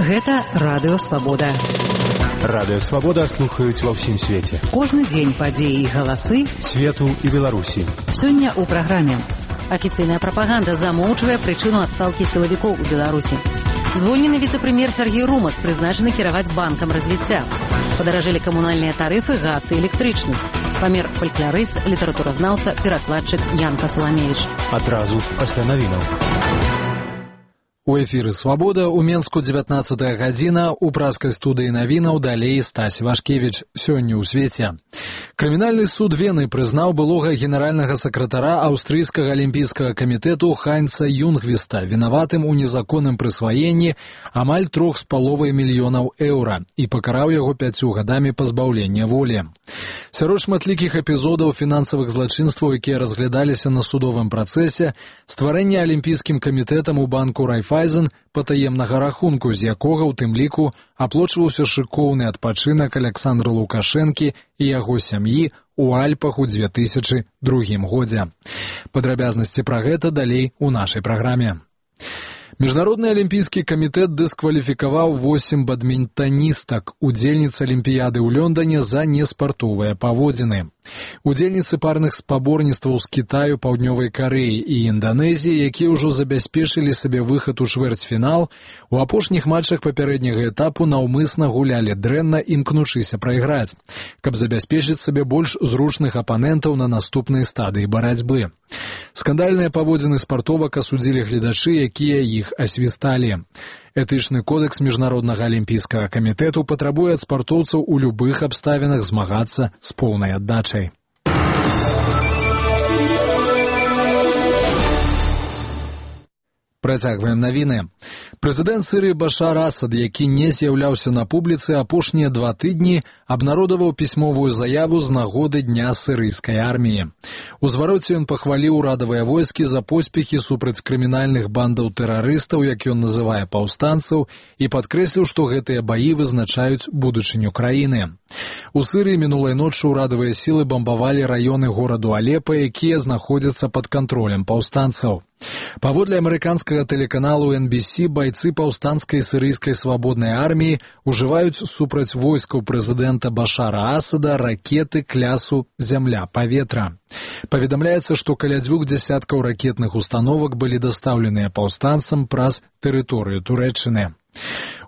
Гэта Радыё Свабода. Радыё Свабода слухаюць ва ўсім свеце. Кожны дзень падзеі і галасы свету і Беларусі. Сёння ў праграме. Афіцыйная прапаганда замоўчвае прычыну адстаўкі сілавікоў у Беларусі. Звольнены віцэ-прэм'ер Сергей Румас прызначаны кіраваць банкам развіцця. Падаражэлі камунальныя тарыфы, газ і электрычнасць. Памер фалькларыст, літаратуразнаўца, перакладчык Янка Саламевіч. Адразу пасля навінаў. У эфіры «Свабода» у Менску 19 гадзіна, у праскай студыі навінаў далей Стась Вашкевіч. Сёння ў свеце. Крымінальны суд Вены прызнаў былога генеральнага сакратара аўстрыйскага алімпійскага камітэту Хайнца Юнгвіста вінаватым у незаконным прысваенні амаль 3,5 мільёнаў еўра і пакараў яго 5 гадамі пазбаўлення волі. Сярод шматлікіх эпізодаў фінансавых злачынстваў, якія разглядаліся на судовым працэсе, стварэнне алімпійскім камітэтам у банку Райфайзен патаемнага рахунку, з якога ў тым ліку аплочваўся шыкоўны адпачынак Аляксандра Лукашэнкі і яго сям'і ў Альпах у 2002 годзе. Падрабязнасці пра гэта далей у нашай праграме. Міжнародны алімпійскі камітэт дыскваліфікаваў 8 бадмінтаністак, удзельніц алімпіяды ў Лондоне за неспартовыя паводзіны. Удзельніцы парных спаборніцтваў з Кітаю, Паўднёвай Карэі і Інданезіі, якія ўжо забяспечылі сабе выхад у чвэрцьфінал, у апошніх матчах папярэдняга этапу наўмысна гулялі дрэнна, імкнучыся прайграць, каб забяспечыць сабе больш зручных апанентаў на наступнай стадыі барацьбы. Скандальныя паводзіны спартовак асудзілі гледачы, якія іх асвісталі. Этычны кодэкс Міжнароднага алімпійскага камітэту патрабуе ад спартоўцаў у любых абставінах змагацца з поўнай аддачай. Працягваем навіны. Прэзідэнт Сірыі Башар Асад, які не з'яўляўся на публіцы апошнія 2 тыдні, абнародаваў пісьмовую заяву з нагоды Дня сірыйскай арміі. У звароце ён пахваліў урадавыя войскі за поспехі супраць крымінальных бандаў тэрарыстаў, як ён называе паўстанцаў, і падкрэсліў, што гэтыя баі вызначаюць будучыню краіны. У Сірыі мінулай ноччу урадавыя сілы бамбавалі раёны гораду Алепа, якія знаходзяцца пад кантролем паўстанцаў. Паводле амерыканскага тэлеканалу NBC, байцы паўстанцкай сірыйскай свабоднай арміі ужываюць супраць войскаў прэзідэнта Башара Асада ракеты клясу «Зямля-паветра». Паведамляецца, што каля 2 дзясяткаў ракетных установак былі дастаўленыя паўстанцам праз тэрыторыю Турэччыны.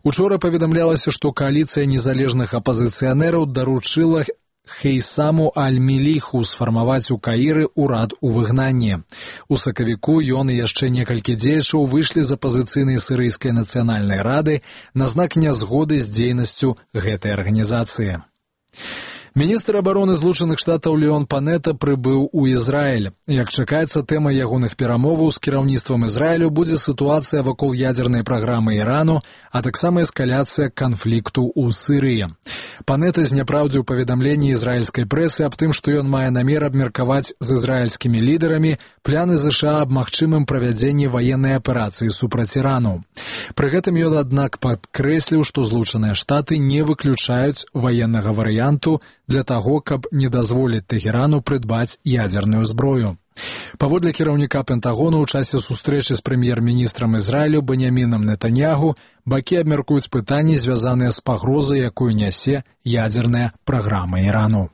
Учора паведамлялася, што кааліцыя незалежных апазіцыянераў даручыла Хейсаму Аль-Міліху сфармаваць у Каіры ўрад у выгнанні. У сакавіку ён і яшчэ некалькі дзеячаў выйшлі з апазіцыйнай сірыйскай нацыянальнай рады на знак нязгоды з дзейнасцю гэтай арганізацыі. Міністр абароны Злучаных Штатаў Леон Панета прыбыў у Ізраіль. Як чакаецца, тэма ягоных перамоваў з кіраўніцтвам Ізраілю будзе сітуацыя вакол ядзернай праграмы Ірану, а таксама эскаляцыя канфлікту ў Сірыі. Панета зняпраўдзіў паведамленні ізраільскай прэсы аб тым, што ён мае намер абмеркаваць з ізраільскімі лідарамі пляны ЗША аб магчымым правядзенні ваеннай аперацыі супраць Ірану. Пры гэтым ён, аднак, падкрэсліў, што Злучаныя Штаты не выключаюць ваеннага варыянту для таго, каб не дазволіць Тэхерану прыдбаць ядзерную зброю. Паводле кіраўніка Пентагону, ў часе сустрэчы з прэм'ер-міністрам Ізраілю Беньямінам Нетаньягу бакі абмяркуюць пытанні, звязаныя з пагрозай, якую нясе ядзерная праграма Ірану.